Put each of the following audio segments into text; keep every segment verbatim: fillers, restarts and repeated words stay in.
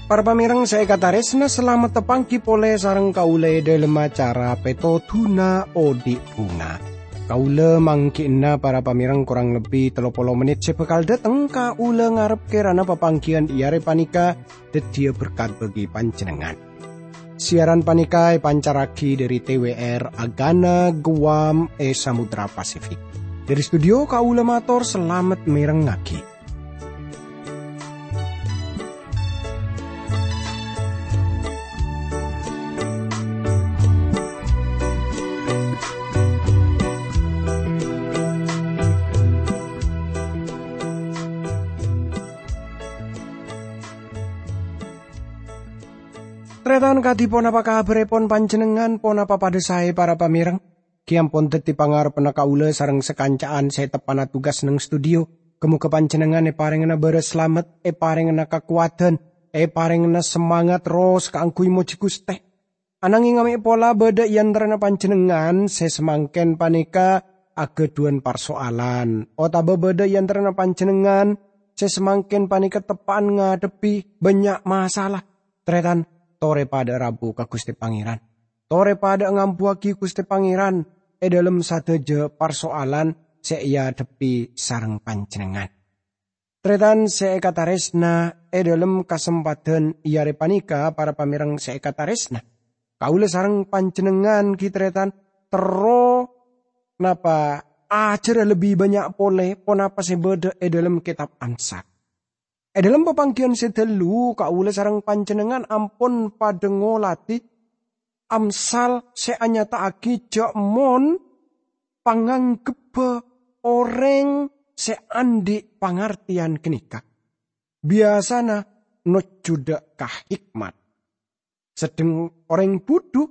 Para pamèrèng sè èkatarèsna, salamet tapangghi polè sareng kaulâ è dhâlem acara Pètodhuna Odi' Bhunga. Kaulâ mangghi'na para pamèrèng korang lebbi tello polo mennit sè bhâkal dâteng. Kaulâ ngarep kèrana papangghiyân è arè panèka dhâddhiyâ berkat bagi panjhennengngan. Siaran panèka èpancarraghi dhâri T W R Agana Guam è Samudra Pasifik. Dhâri studio kaulâ mator salamet mèrengngaghi. Tarètan, kadhi ponapa kabhârèpon panjhennengngan? Ponapa padâ saè, para pamèrèng? Ghi ampon dhâddhi pangarebbhânna kaulâ sareng sakanca'an sè teppa'na tugas neng studio. Ghâ-mogâ panjhennengngan èparèngana bârâs salamet, èparèngana kakowadhân, èparèngana semangat terros kaangghuy mojhi Ghustè. Ananghing amè' pola bâdâ è antarana panjhennengngan sè samangkèn panèka aghâdhuwân parsoalan, otabâ bâdâ è antarana panjhennengngan sè samangkèn panèka teppa'an ngadhebbhi bânnya' masalah. Tarètan, torè padâ rabu ka Ghustè Pangèran. Torè padâ ngambuwâghi Ghustè Pangèran è dhâlem sadhâjâ parsoalan sè èadhebbhi sareng panjhennengngan. Tarètan sè èkatarèsna, è dhâlem kasempadhân è arè panèka, para pamèrèng sè èkatarèsna, kaulâ sareng panjhennengngan ghi tarètan terro napa ajhârâ lebbi bânnya' polè ponapa sè bâdâ è dhâlem Kètab Amsal. È dhâlem papangghiyân sè ghâllu, kaulâ sareng panjhennengngan ampon padâ ngolatè Amsal sè anyata'aghi jhâ' mon panganggebbhâ orèng sè andi' pangartèyan ghânèka biyasana nojjhudhâ ka hikmat, sedheng orèng budhu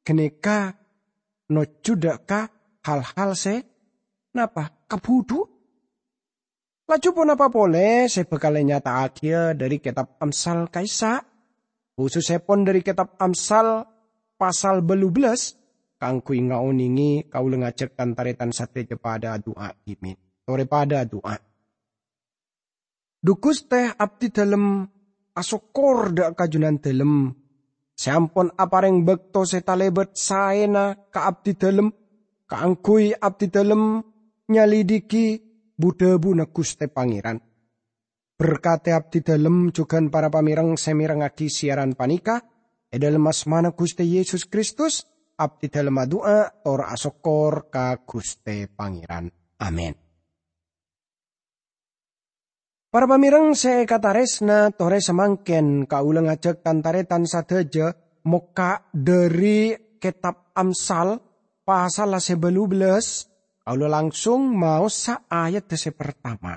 ghânèka nojjhudhâ ka hal-hal sè napa? Kabhudhuwân. Laju ponapa polè sè bhâkal ènyata'aghiyâ dhâri Kètab Amsal ka'issa', khusussèpon dhâri Kètab Amsal pasal bâllu bellâs? Kaangghuy ngaonèngè, kaulâ ngajhâk tan-tarètan sadhâjâ padâ adu'a dhimèn. Torè padâ adu'a. Dhu Ghustè, abdhi dhâlem asokkor dhâ' ka Jhunandhâlem sè ampon aparèng bâkto sè talèbât saèna ka abdhi dhâlem, kaangghuy abdhi dhâlem nyalidhighi bu-dhâbuna Ghustè Pangèran. Berkadhi abdhi dhâlem jhughân para pamèrèng sè mèrengngaghi siaran panèka, è dhâlem asmana Ghustè Yesus Kristus, abdhi dhâlem adu'a tor asokkor ka Ghustè Pangèran. Amin. Para pamèrèng sè èkatarèsna, torè samangkèn kaulâ ngajhâk tan-tarètan sadhâjâ mokka' dhâri Kètab Amsal, pasalla sè bâllu bellâs, kaulâ langsung maosa ayadda sè partama.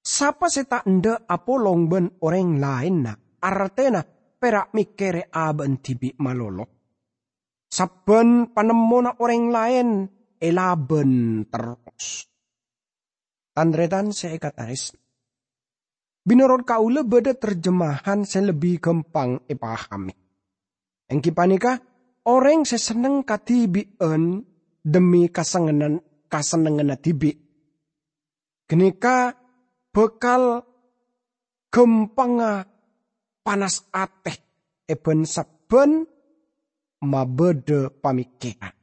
Sapa sè ta' endâ' apolong bân orèng laènna, artèna pèra' mèkkèrè abâ'na dhibi' malolo? Sabbhân panemmona orèng laèn èlabân terros. Tan-tarètan sè èkatarès-, bhinorot kaulâ bâdâ terjemahan sè lebbi ghâmpang èpahamè. Èngghi panèka, orèng sè senneng kadhibi'ân dhemmi kasengngan-, kasennengnganna dhibi'. Ghânèka bhâkal ghâmpangnga panas atè è bân-sabbhân mabâdâ pamèkkèran.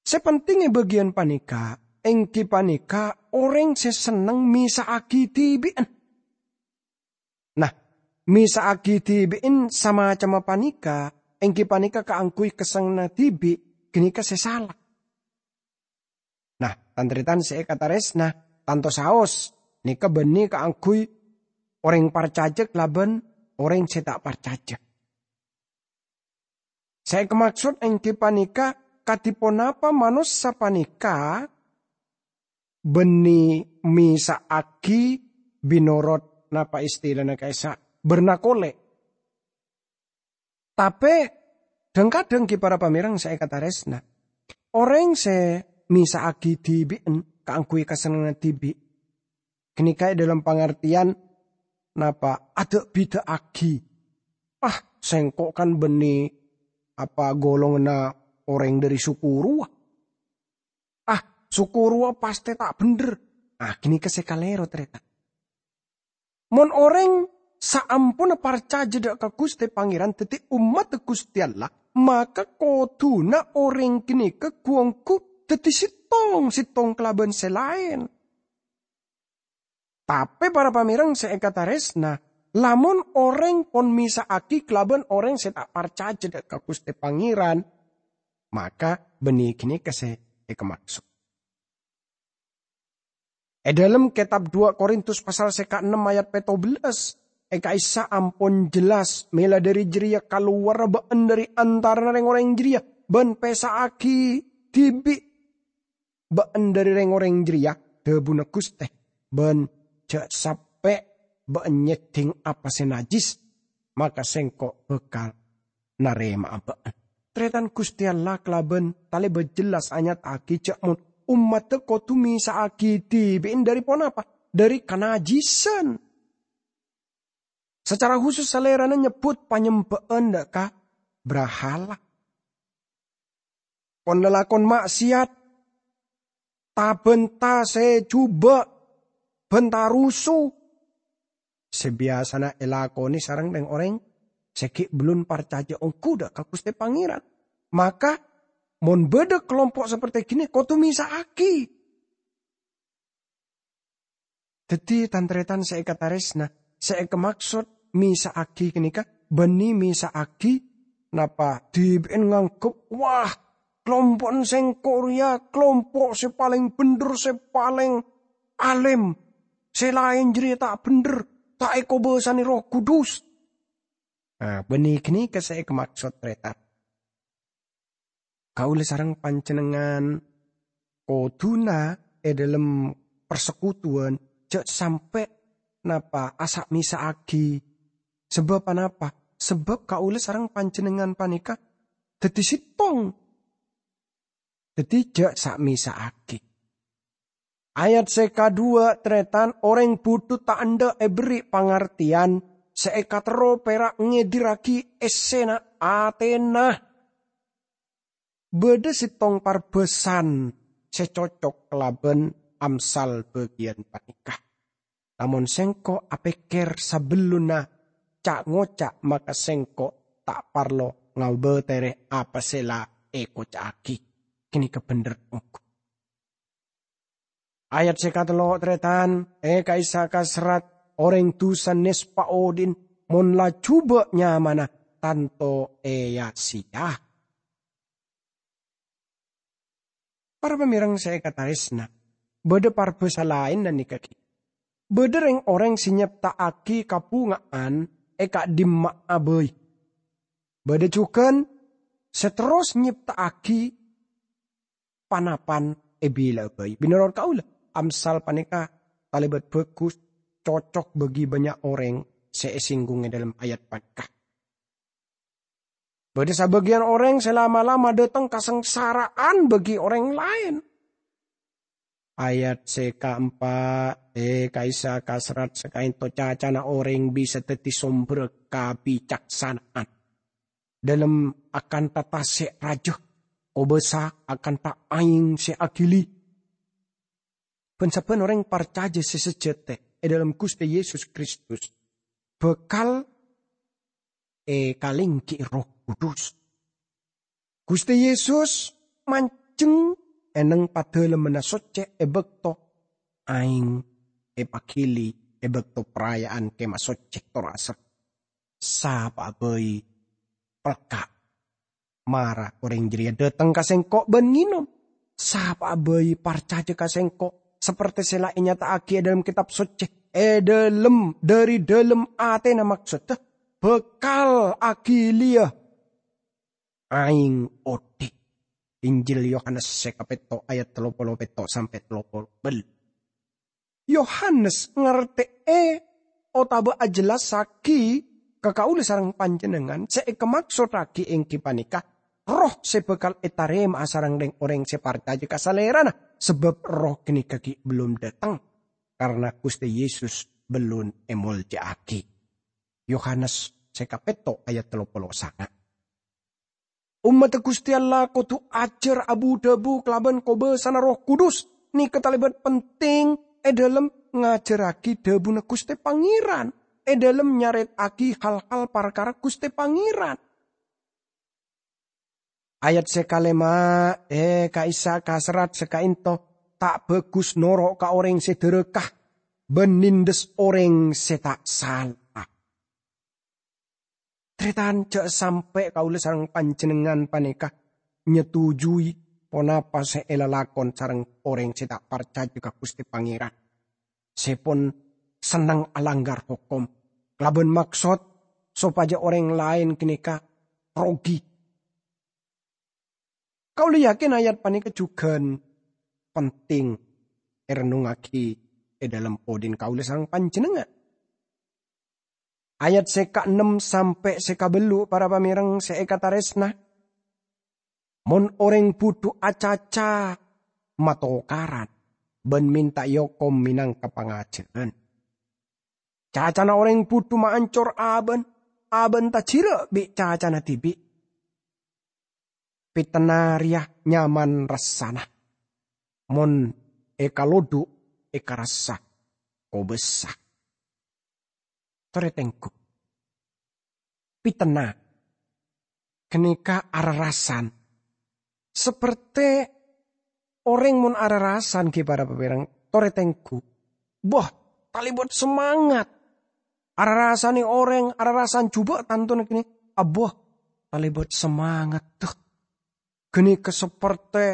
Sè penting è bâgiyân panèka, èngghi panèka orèng sè senneng mèsa'aghi dhibi'ân. Nah, mèsa'aghi dhibi'ân samacemma panèka, èngghi panèka kaangghuy kasengnganna dhibi', ghânèka sè sala. Nah, tan-tarètan sè èkatarès-, nah, tanto saos, nèka bânnè kaangghuy orèng parcajâ kalabân orèng sè ta' parcajâ. Sè èkamaksod èngghi panèka kadhi ponapa manossa panèka bânnè mèsa'aghi bhinorot napa istilana ka'issa' bârna kolè'. Tapè, dhâng-kadhâng ghi para pamèrèng sè èkatarèsna, orèng sè mèsa'aghi dhibi'ân kaangghuy kasennengnganna dhibi', ghânèka è dhâlem pangartèyan napa adâ'-bidâ'aghi. Ah, sèngko' kan bânnè apa golonganna orèng dâri suku rowa. Ah, suku rowa pastè ta' bhendher. Ah, ghânèka sè kalèro, tarètan. Mon orèng saamponna parcajâ dâ' ka Ghustè Pangèran dhâddhi ommaddhâ Ghustè Allah, maka kodhuna orèng ghânèka ghu-ongghu dhâddhi sèttong-sèttong kalabân sè laèn. Tapè para pamèreng sè èkatarèsna, lamon orèng pon mèsa'aghi kalabân orèng sè ta' parcajâ dâ' ka Ghustè Pangèran, maka bânnè ghânèka sè èkamaksod. È dâlem kètab dua Korintus pasal sè kaennem ayat pètto bellâs, è ka'issa' ampon jelas, mèla dâri jârèya kalowarra bâ'na dâri antarana rèng-orèng jârèya, bân pèsa'aghi dhibi' bâ'na dâri rèng-orèng jârèya, dhâbuna Ghustè, bân jhâ' sampè' bâ'na nyèddhing apa sè najjhis, maka Sèngko' bhâkal narèma'a bâ'na. Tarètan, Ghustè Allah kalabân talèbât jelas anyata'aghi jhâ' mon ommaddhâ kodhu mèsa'aghi dhibi'na dâri ponapa? Dâri kanajjhisan. Sacara khusus Salèrana nyebbhut panyembhâ'ân dâ' ka brahala. Pon lalakon ma'siyat, ta-bhânta sè jhubâ', bhânta rusu, sè biyasana èlakonè sareng rèng-orèng sè ghi' bellun parcajâ ongghu dâ' ka Ghustè Pangèran. Maka, mon bâdâ kalompo' saperti ghânèka, kodhu mèsa'aghi. Dhâddhi, tan-tarètan sè èkatarèsna, sè èkamaksod mèsa'aghi ghânèka bânnè mèsa'aghi napa dhibi'na nganggep, "Wah, kalompo'na sèngko' rèya kalompo' sè palèng bhendher, sè palèng alèm. Sè laèn jârèya ta' bhendher, ta' èkobâsanè Erroh Kudus." Nah, bânnè ghânèka sè èkamaksod, tarètan. Kaulâ sareng panjhennengngan kodhuna è dâlem parsekutuwân jhâ' sampè' napa asa'-mèsa'aghi. Sabâb anapa? Sabâb kaulâ sareng panjhennengngan panèka dhâddhi sèttong. Dhâddhi jhâ' sa'-mèsa'aghi. Ayat sè kadhuwâ', tarètan, orèng budhu ta' endâ' èberri' pangartèyan, sè èkaterro pèra' ngèdirraghi èssèna atèna. Bâdâ sèttong parbâsan sè cocok kalabân Amsal bâgiyân panèka. Lamon sèngko' apèkkèr sabellunna ca'-ngoca', maka sèngko' ta' parlo ngabâtèrè apa sè la èkoca'aghi. Ghânèka bhendher ongghu. Ayat sè katello', tarètan, è ka'issa' kaserrat, orèng dhusa nèspa odi'na mon la jhubâ' nyamana tanto èya-sèya. Para pamèreng sè èkatarèsna, bâdâ parbâsa laèn ghânèka ghi. Bâdâ rèng-orèng sè nyèpta'aghi kabhunga'an è ka'dimma'a bhâi. Bâdâ jhughân sè terros nyèpta'aghi pan-apan è bilâ'â bhâi. Mènorot kaulâ, Amsal panèka talèbât bhâghus, cocok bagi bânnya' orèng sè èsènggung è dâlem ayat panèka. Bâdâ sabâgiyân orèng sè la-malama dâteng kasangsara'an bagi orèng laèn. Ayat sè kaempa', è ka'issa' kaserrat, sakaènto cacana orèng bisa dhâddhi sombherra kabicaksana'an. Dâlem akanta tasè' rajâ, kobâsa akanta aèng sè aghili. Bân sabbhân orèng parcajâ sè sajhâtè è dâlem Ghustè Yesus Kristus bhâkal èkalènggi'i Erroh Kudus. Ghustè Yesus manjheng è neng Padâlemmanna Soccè è bâkto aèng èpaghili è bâkto paraya'an Kèma Soccè tor asèr. Sapa'a bhâi pelka'. Mara orèng jârèya dâteng ka Sèngko' bân ngènom. Sapa'a bhâi parcajâ ka Sèngko', sapertè sè la ènyata'aghi è dâlem Kètab Soccè, è dâlem, dâri dâlem atèna, maksoddhâ bhâkal aghiliya aèng odi'. Injil Yohanes sè kapètto ayat tello polo pètto sampè' tello polo bâllu'. Yohanes ngartè'è otabâ ajhellassaghi ka kaulâ sareng panjhennengngan sè èkamaksoddhâghi èngghi panèka Erroh sè bhâkal ètarèma'a sareng rèng-orèng sè parcajâ ka Salèrana, sabâb Erroh ghânèka ghi' bellun dâteng, karna Ghustè Yesus bellun èmolja'aghi. Yohanes sè kapètto' ayat tello polo sanga'. Ommadda Ghustè Allah kodhu ajhâr abu-dhâbu kalabân kobâsana Erroh Kudus, nèka talèbât penting è dhâlem ngajhârraghi dhâbuna Ghustè Pangèran, è dhâlem nyarèta'aghi hal-hal parkara Ghustè Pangèran. Ayat sè kalèma', è, ka'issa' kaserrat sè ka'ènto, ta' bhâghus noro' ka orèng sè dhârâka bân nèndhes orèng sè ta' sala. Tarètan, jhâ' sampè' kaulâ sareng panjhennengngan panèka nyetujui ponapa sè èlalakon sareng orèng sè ta' parcajâ ka Ghustè Pangèran, sè pon senneng alangghâr hokom, kalabân maksod sopajâ orèng laèn ghânèka rogi. Kaulâ yakin ayat panèka jhughân penting èrennongngaghi è dhâlem odhi'na kaulâ sareng panjhennengngan. Ayat sè kaennem sampè' sè kabellu', para pamèreng sè èkatarèsna, mon orèng budhu acaca matokaran bân mènta èokom mènangka pangajhârân. Cacana orèng budhu maancor abân, abân tajhirâ' bi' cacana dhibi'. Pitena rèya nyaman rassana, mon èkalodhu' èkarassa kobâsa. Torè tengghu. Pitena ghânèka ararasan. Sapertè orèng mon ararasan ghi' para pamèreng, torè tengghu. Bâh, talèbât semangat. Ararasanè orèng, ararasan jhubâ' tantona ghânèka, abâh, talèbât semangat. Duh, ghânèka sapertè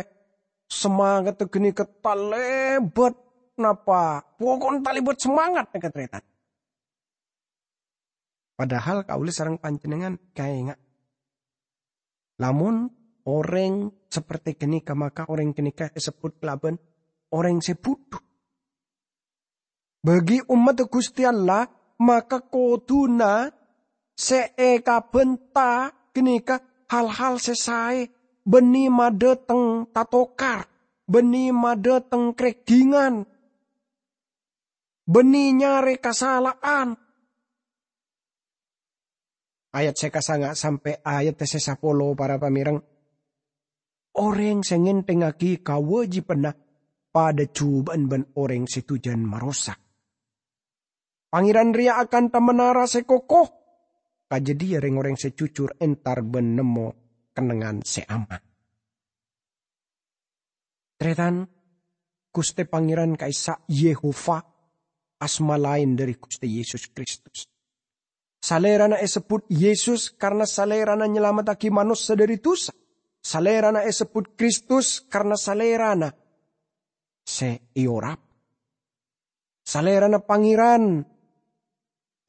semangatta ghânèka talèbât napa? Poko'na talèbât semangat, tarètan. Padahal kaulâ sareng panjhennengngan kaènga', lamon orèng sapertè ghânèka, maka orèng ghânèka èsebbhut kalabân orèng sè budhu. Bagi ommadda Ghustè Allah, maka kodhuna sè èkabhânta ghânèka hal-hal sè saè, bânnè madâteng tatokar, bânnè madâteng krèghingan, bânnè nyarè kasala'an. Ayat sè kasanga' sampè' ayat sè sapolo, para pamèreng. Orèng sè ngènthèngngaghi kawâjibhânna padâ jhubâ'ân bân orèng sè dhujân marosak. Pangèran rèya akanta menara sè koko. Kajâdhiyâ rèng-orèng sè jujur entar bân nemmo kennengngan sè aman. Tarètan, Ghustè Pangèran ka'issa' Yehova, asma laèn dhâri Ghustè Yesus Kristus. Salèrana èsebbhut Yesus karna Salèrana nyalamettaghi manossa dhâri dhusa. Salèrana èsebbhut Kristus karna Salèrana sè èorap. Salèrana Pangèran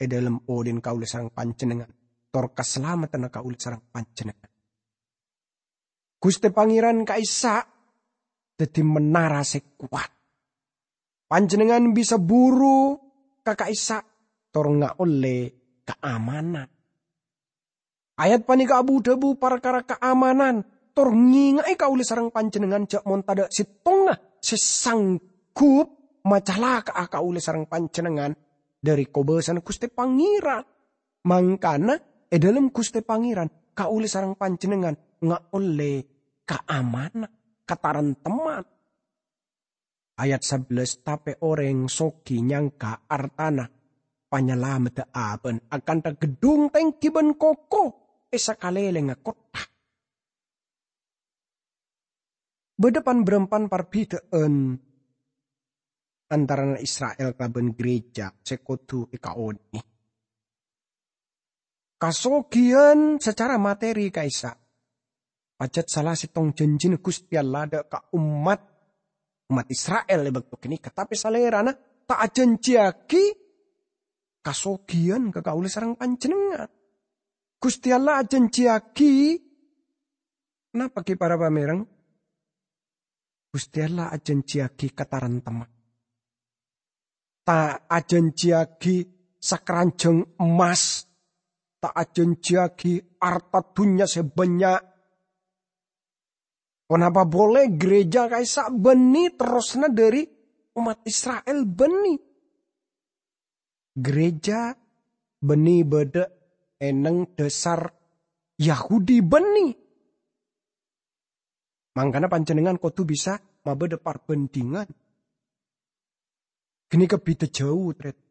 è dhâlem odhi'na kaulâ sareng panjhennengngan, tor kasalameddhânna kaulâ sareng panjhennengngan. Ghustè Pangèran ka'issa' dhâddhi menara sè kowat. Panjhennengngan bisa buru ka ka'issa' tor ngaollè kaamanan. Ayat panèka abu-dhâbu parkara kaamanan, tor ngènga'è kaulâ sareng panjhennengngan jhâ' mon tadâ' sèttonga sè sanggup macalaka'a kaulâ sareng panjhennengngan dhâri kobâsana Ghustè Pangèran. Mangkana, è dhâlem Ghustè Pangèran, kaulâ sareng panjhennengngan ngaollè kaamanan, kataremtemman. Ayat sabellâs, tapè orèng soghi nyangka artana panyalameddhâ abâ'na akanta ghedhung tèngghi bân koko è sakalèlèngnga kottha. Bâdâ pan-bârâmpan parbhidhâ'ân antarana Isra'il kalabân ghârèjâ sè kodhu èkaonèngè. Kasoghiyân sacara materi ka'issa' pajhât sala sèttong jhânjhina Ghustè Allah dâ' ka ommat, ommat Isra'il è bâkto ghânèka, tapè Salèrana ta' ajhânjhiyaghi kasoghiyân ka kaulâ sareng panjhennengngan. Ghustè Allah ajhânjhiyaghi, napa ghi para pamèreng? Ghustè Allah ajhânjhiyaghi kataremtemman. Ta' ajhânjhiyaghi sakaranjhâng emmas, ta' ajhânjhiyaghi arta dhunnya sè bânnya'. Ponapa polè ghârèjâ ka'issa' bânnè terrosna dhâri ommat Isra'il bânnè. Ghârèjâ bânnè bâdâ è neng dhasar Yahudi bânnè. Mangkana panjhennengngan kodhu bisa mabâdâ parbhândhingan. Ghânèka bhidhâ jhâu, tarètan.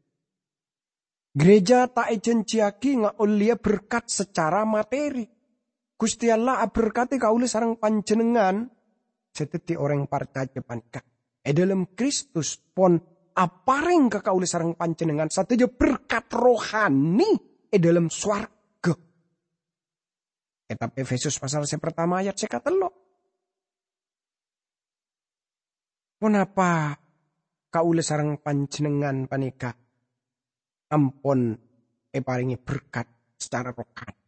Gereja ta' èjhânjhiyaghi ngaollèya berkat secara materi. Ghustè Allah aberkadhi kaulâ sareng panjhennengngan sè dhâddhi orèng parcajâ panèka è dhâlem Kristus, pon aparèng ka kaulâ sareng panjhennengngan sadhâjâ berkat rohani è dhâlem sowarga. Kètab Efesus pasal sè partama ayat sè katello. Ponapa kaulâ sareng panjhennengngan panèka ampon èparèngè berkat secara rohani?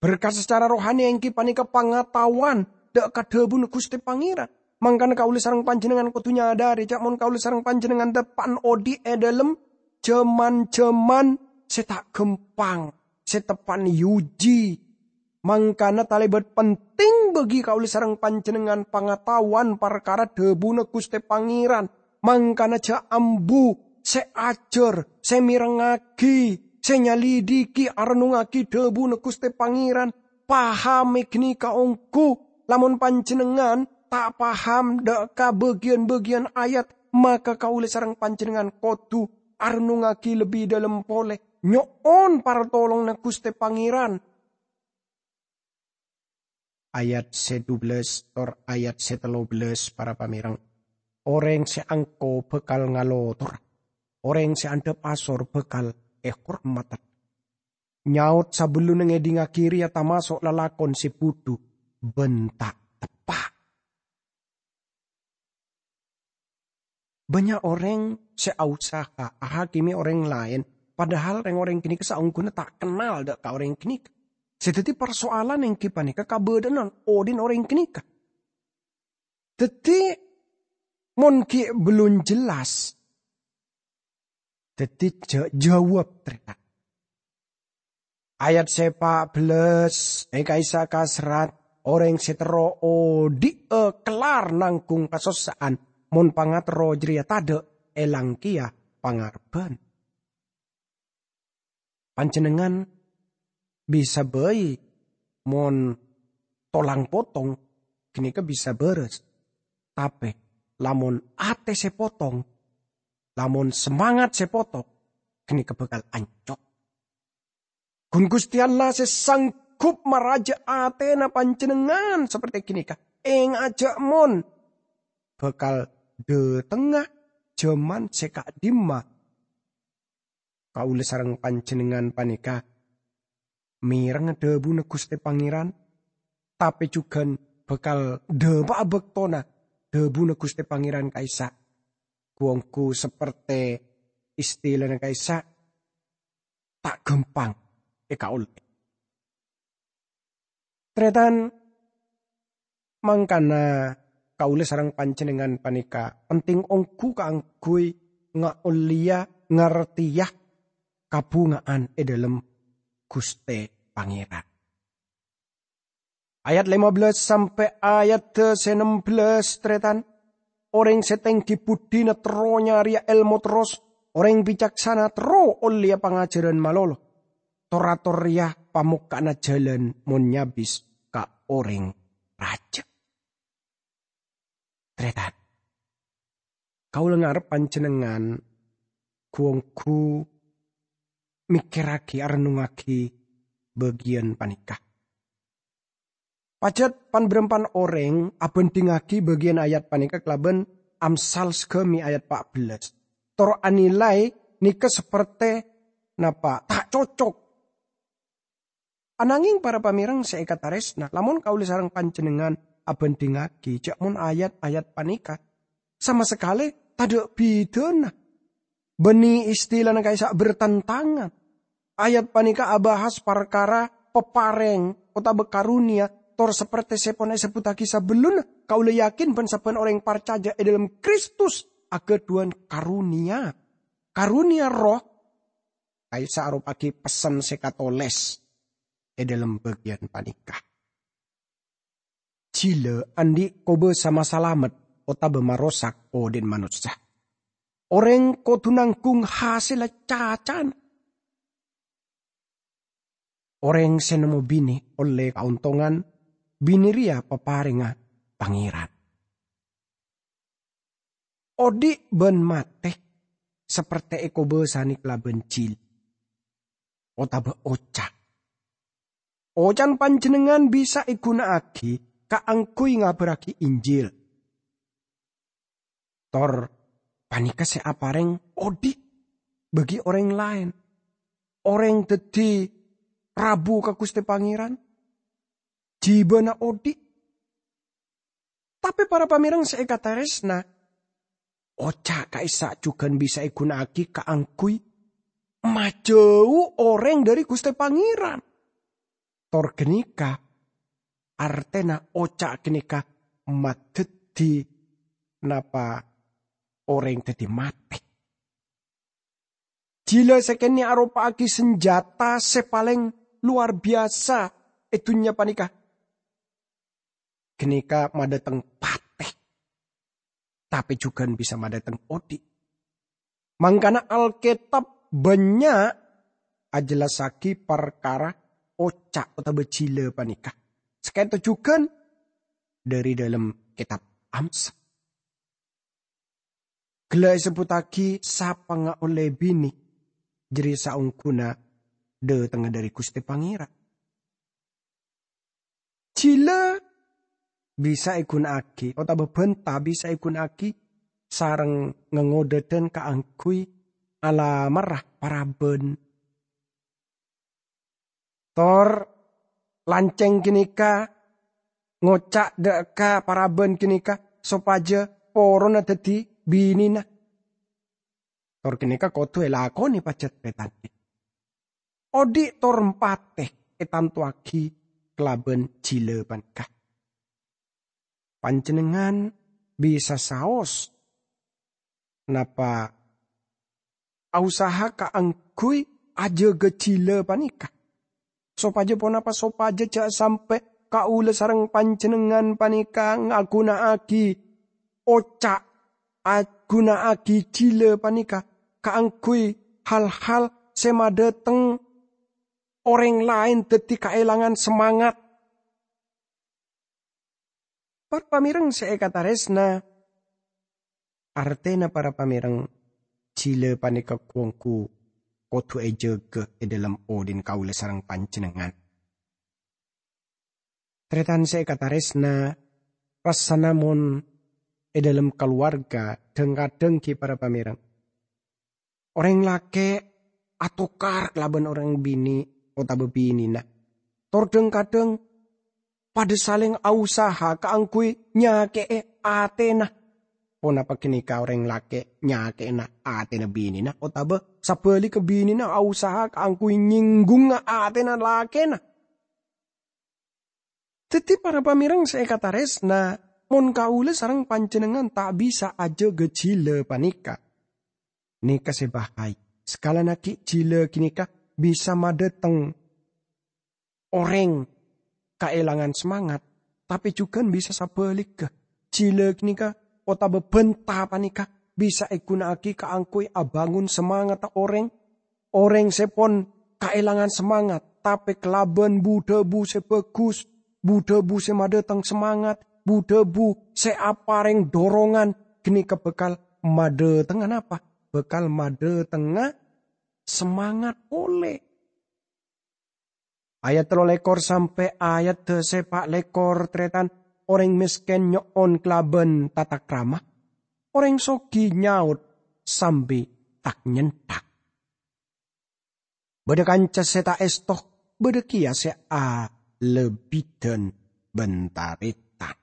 Berkat secara rohani èngghi panèka pangataowan dâ' ka dhâbuna Ghustè Pangèran. Mangkana kaulâ sareng panjhennengngan kodhu nyadhâri, jhâ' mon kaulâ sareng panjhennengngan teppa'na odi' è dhâlem jhâman-jhâman sè ta' ghâmpang, sè teppa'na èuji. Mangkana talèbât penting bagi kaulâ sareng panjhennengngan pangataowan parkara dhâbuna Ghustè Pangèran. Mangkana jhâ' ambu sè ajhâr, sè mèrengngaghi, sè nyalidiki, arennungngaghi dhâbuna Ghustè Pangèran. Pahamè ghânèka ongghu. Lamon panjhennengngan ta' paham dâ' ka bâgiyân-bâgiyân ayat, maka kaulâ sareng panjhennengngan kodhu arennungngaghi lebbi dhâlem polè, nyo'on partolonganna Ghustè Pangèran. Ayat sè dubellâs tor ayat sè tello bellâs, para pamèreng. Orèng sè angko bhâkal ngalotora. Orèng sè andhâp asor bhâkal èhormadhâ. Nyaot sabellunna ngèdingngaghi rèya tamaso' lalakon sè budhu bân ta' teppa'. Bânnya' orèng sè ausaha ahakimi orèng laèn, padahal rèng-orèng ghânèka saongghuna ta' kennal dâ' ka orèng ghânèka. Sè dhâddhi parsoalan èngghi panèka kabâdâ'ânna odi'na orèng ghânèka. Dhâddhi, mon ghi' bellun jelas, dhâddhi jhâ', jâwâb, tarètan. Ayat sè pa' bellâs è ka'issa' kaserrat, orèng sè terro odi'â kellar nangghung kasossa'an, mon pangaterro jârèya tadâ', èlang kèya pangarebbhân. Panjhennengngan bisa bhâi mon tolang potong, ghânèka bisa bârâs. Tapè lamon atè sè potong, lamon semangat sè potong, ghânèka bhâkal ancor. Ghun Ghustè Allah sè sanggup marajâ atèna panjhennengngan saperti ghânèka. Èngajâ mon bhâkal dhâtengnga jhâman sè ka'dimma. Kaulâ sareng panjhennengngan panèka mèreng dhâbuna Ghustè Pangèran, tapè jhughân bhâkal dhâpa'a bâktona dhâbuna Ghustè Pangèran ka'issa'. Ghu-ongghu saperti istilana ka'issa', ta' ghâmpang èkaollè. Tarètan, mangkana kaulâ sareng panjhennengngan panèka penting ongghu kaangghuy ngaollèya, ngartèya kabhungaan è dhâlem Ghustè Pangèran. Ayat lèma bellâs sampè' ayat sè ennem bellâs, tarètan. Orèng sè tèngghi buddhina terro nyarèya èlmo terros, orèng bicaksana terro ollèya pangajhârân malolo. Tor-ator rèya pamokka'anna jhâlân mon nyabis ka orèng rajâ. Tarètan, kaulâ ngarep panjhennengngan ghu-ongghu mèkkèrraghi, arennungngaghi bâgiyân panèka. Pajhât pan-bârâmpan orèng abhândhingngaghi bâgiyân ayat panèka kalabân Amsal saghâmè ayat pa' bellâs, tor anilai nèka saperti napa ta' cocok. Anangèng para pamèreng sè èkatarèsna, lamon kaulâ sareng panjhennengngan abhândhingngaghi, jhâ' mon ayat-ayat panèka sama sakalè tadâ' bhidhâna. Bânnè istilana ka'issa' bertentangan. Ayat panèka abahas parkara paparèng otabâ karonèya, tor saperti sè pon èsebbhuttaghi sabellunna, kaulâ yakin bân-sabbhân orèng parcajâ è dhâlem Kristus aghâdhuwân karonèya. Karonèya Erroh ka'issa' aropa'aghi pessen sè katolès è dhâlem bâgiyân panèka. Jhilâ andi' kobâsa masalamet otabâ marosak odi'na manossa. Orèng kodhu nangghung hasèlla cacana. Orèng sè nemmo binè ollè kaontongan, binè rèya paparèngnga Pangèran. Odhi' bân matè sapertè èkobâsanè kalabân jhilâ otabâ oca'. Oca'na panjhennengngan bisa èghuna'aghi kaangghuy ngabhârraghi Injil. Tor panèka sè aparèng odhi' bagi orèng laèn. Orèng dhâddhi rabu ka Ghustè Pangèran, jhibâna odhi'. Tapè para pamèreng sè èkatarèsna, oca' ka'issa' jhughân bisa èghuna'aghi kaangghuy majâu orèng dhâri Ghustè Pangèran. Tor ghânèka artèna oca' ghânèka madhâddhi napa orèng dhâddhi matè. Jhilâ sè kènè' aropa'aghi sanjhâta sè palèng lowar biyasa è dhunnya panèka. Ghânèka madhâteng patè, tapè jhughân bisa madhâteng odhi'. Mangkana Alkètab bânnya' ajhellassaghi parkara oca' otabâ jhilâ panèka. Sakènto jhughân dhâri dhâlem Kètab Amsa. Ghellâ' èsebbhuttaghi sapa nga' ollè binè, jârèya saongghuna dhâtengnga dhâri Ghustè Pangèran. Jhilâ bisa èghuna'aghi, otabâ bhânta bisa èghuna'aghi sareng ngangodâdhân kaangghuy alamarra parabân. Tor lancèng ghânèka ngoca' dhâ' ka parabân ghânèka sopajâ porona dhâddhi binèna. Tor ghânèka kodhu èlakonè pajhât pètangkè. Odhi' tor patè ètantowaghi kalabân jhilâ panèka. Panjhennengngan bisa saos napa ausaha kaangghuy ajâgâ jhilâ panèka. Sopajâ ponapa? Sopajâ jhâ' sampè' kaulâ sareng panjhennengngan panèka ngaghuna'aghi oca', aghuna'aghi jhilâ panèka kaangghuy hal-hal sè madhâteng orèng laèn dhâddhi kaèlangan semangat. Para pamèreng sè èkatarèsna, artèna para pamèreng, jhilâ panèka ghu-ongghu kodhu èjâgâ è dhâlem odhi'na kaulâ sareng panjhennengngan. Tarètan sè èkatarèsna, rassana mon è dhâlem kalowarga dhâng-kadhâng ghi' para pamèreng. Orèng lakè' atokar kalabân orèng binè' otabâ binèna. Tor dhâng-kadhâng padâ salèng ausaha kaangghuy nyakè'è atèna. Ponapa ghânèka orèng lakè' nyakè'ana atèna binèna otabâ sabhâligghâ binèna ausaha kaangghuy nyèngghungnga atèna lakèna? Dhâddhi, para pamèreng sè èkatarèsna, mon kaulâ sareng panjhennengngan ta' bisa ajâgâ jhilâ panèka, nèka sè bahaya. Sakalana ghi' jhilâ ghânèka bisa madhâteng orèng kaèlangan semangat, tapè jhughân bisa sabhâligghâ. Jhilâ ghânèka otabâ bhânta panèka bisa èghuna'aghi kaangghuy abângon samangatta orèng. Orèng sè pon kaèlangan samangat, tapè kalabân bu-dhâbu sè bhâghus, bu-dhâbu sè madhâteng samangat, bu-dhâbu sè aparèng dorongan, ghânèka bhâkal madhâtengnga napa? Bhâkal madhâtengnga samangat polè. Ayat tello lèkor sampè' ayat sè pa' lèkor, tarètan, orèng mèskèn nyo'on kalabân tatakrama, orèng soghi nyaot sambi tak-nyenthak. Bâdâ kanca sè ta' èsto, bâdâ kèya sè alebbidan bân tarètan.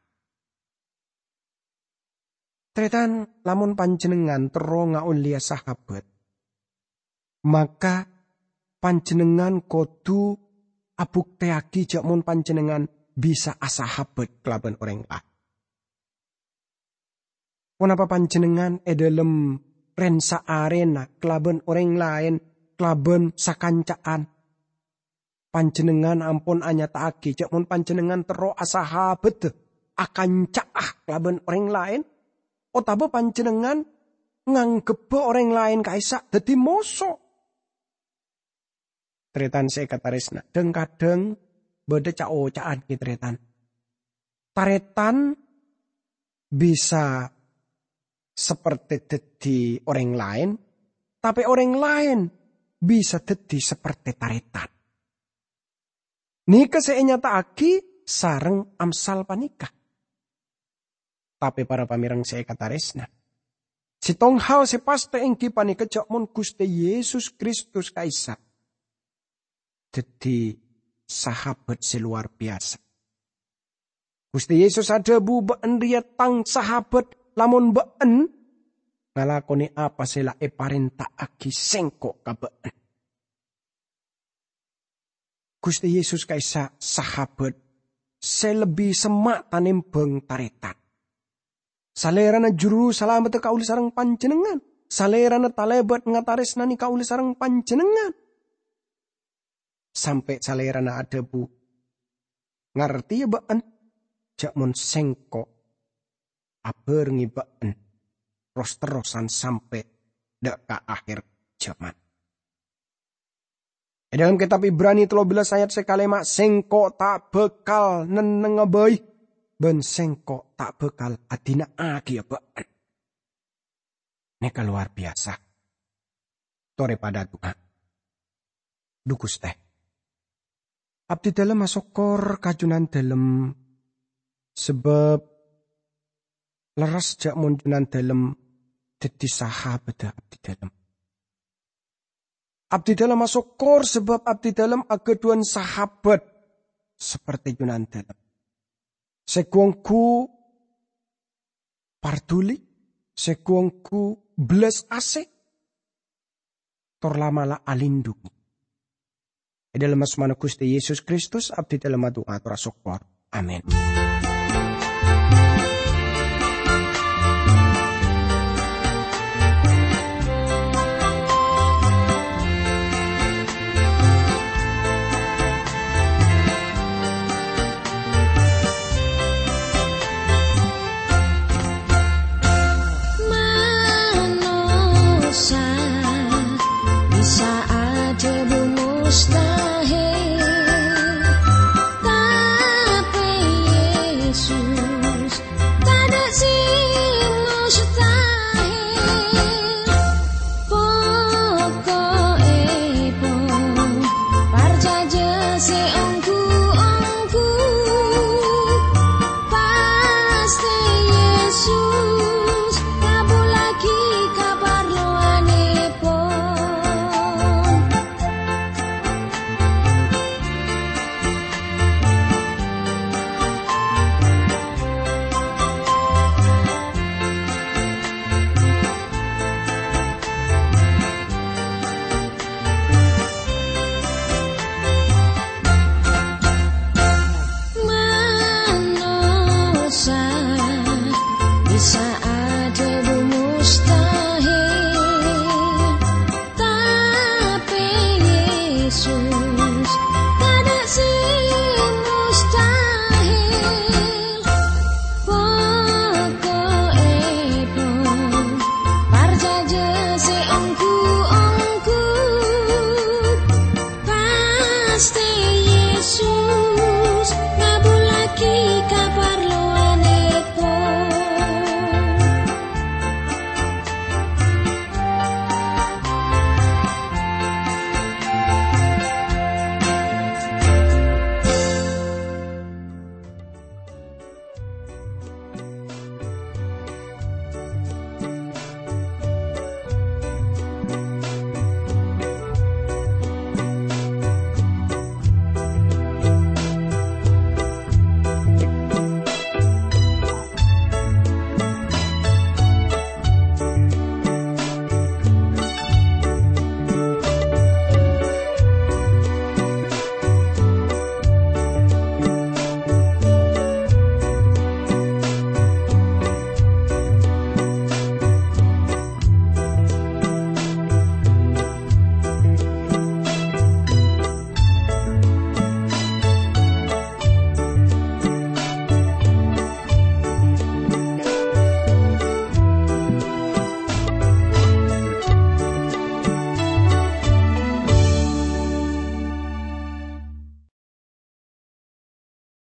Tarètan, lamon panjhennengngan terro ngaollèya sahabat, maka panjhennengngan kodhu abuktèyaghi jhâ' mon panjhennengngan bisa asahabat kalabân orèng laèn. Ponapa panjhennengngan è dhâlem rèn-saarèna kalabân orèng laèn, kalabân sakanca'an? Panjhennengngan ampon anyata'aghi jhâ' mon panjhennengngan terro asahabaddhâ, akanca'a kalabân orèng laèn, otabâ panjhennengngan ngangghebhâ orèng laèn ka'issa' dhâddhi moso. Tarètan sè èkatarèsna, dhâng-kadhâng bâdâ ca'-oca'an ghi, tarètan. Tarètan bisa sapertè dhâddhi orèng laèn, tapè orèng laèn bisa dhâddhi sapertè tarètan. Nèka sè ènyata'aghi sareng Amsal panèka. Tapè para pamèreng sè èkatarèsna, sèttong hal sè pastè èngghi panèka jhâ' mon Ghustè Yesus Kristus ka'issa' dhâddhi sahabat sè lowar biyasa. Ghustè Yesus adhâbu, "Bâ'en rèya Tang sahabat, lamon bâ'en ngalakonè apa sè la èparènta'aghi Sèngko' ka bâ'en." Ghustè Yesus ka'issa' sahabat sè lebbi semma' tanèmbhâng tarètan. Salèrana juru salameddhâ kaulâ sareng panjhennengngan. Salèrana talèbât ngatarèsnanè kaulâ sareng panjhennengngan. Sampè' Salèrana adhâbu, "Ngartèya bâ'en jhâ' mon Sèngko' abhârengngè bâ'en ros-terrosan sampè' dâ' ka akhèr jhâman." È dâlem Kètab Ibrani tello bellâs ayat sè kalèma', "Sèngko' ta' bhâkal nennengnga bhâi, bân Sèngko' ta' bhâkal adina'aghiyâ bâ'en." Nèka lowar biyasa. Torè padâ adu'a. Dhu Ghustè, abdhidhâlem asokkor ka Jhunandhâlem, sabâb lerres jhâ' mon Jhunandhâlem dhâddhi sahabhâddhâ abdhidhâlem. Abdhidhâlem asokkor sabâb abdhidhâlem aghâdhuwân sahabat sapertè Jhunandhâlem sè ghu-ongghu parduli, sè ghu-ongghu bellas asih, tor la'-mala' alindhungi. È dâlem asmana Ghustè Yesus Kristus, abdhidhâlem adu'a tor asokkor. Amin. Manossa bisa adhâbu mustahil.